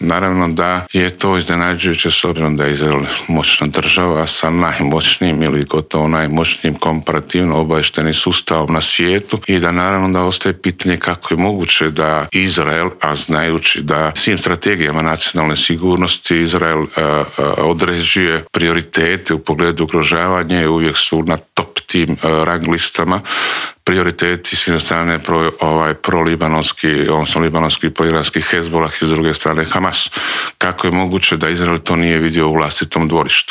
Naravno da je to iznenađujuće s obzirom da je Izrael moćna država sa najmoćnijim ili gotovo najmoćnijim komparativno obavještajnim sustavom na svijetu i da naravno da ostaje pitanje kako je moguće da Izrael, a znajući da svim strategijama nacionalne sigurnosti Izrael određuje prioritete u pogledu ugrožavanja i uvijek su na top tim rang listama prioriteti s jedne strane prolibanonski, odnosno libanonski proiranski Hezbollah i s druge strane Hamas. Kako je moguće da Izrael to nije vidio u vlastitom dvorištu?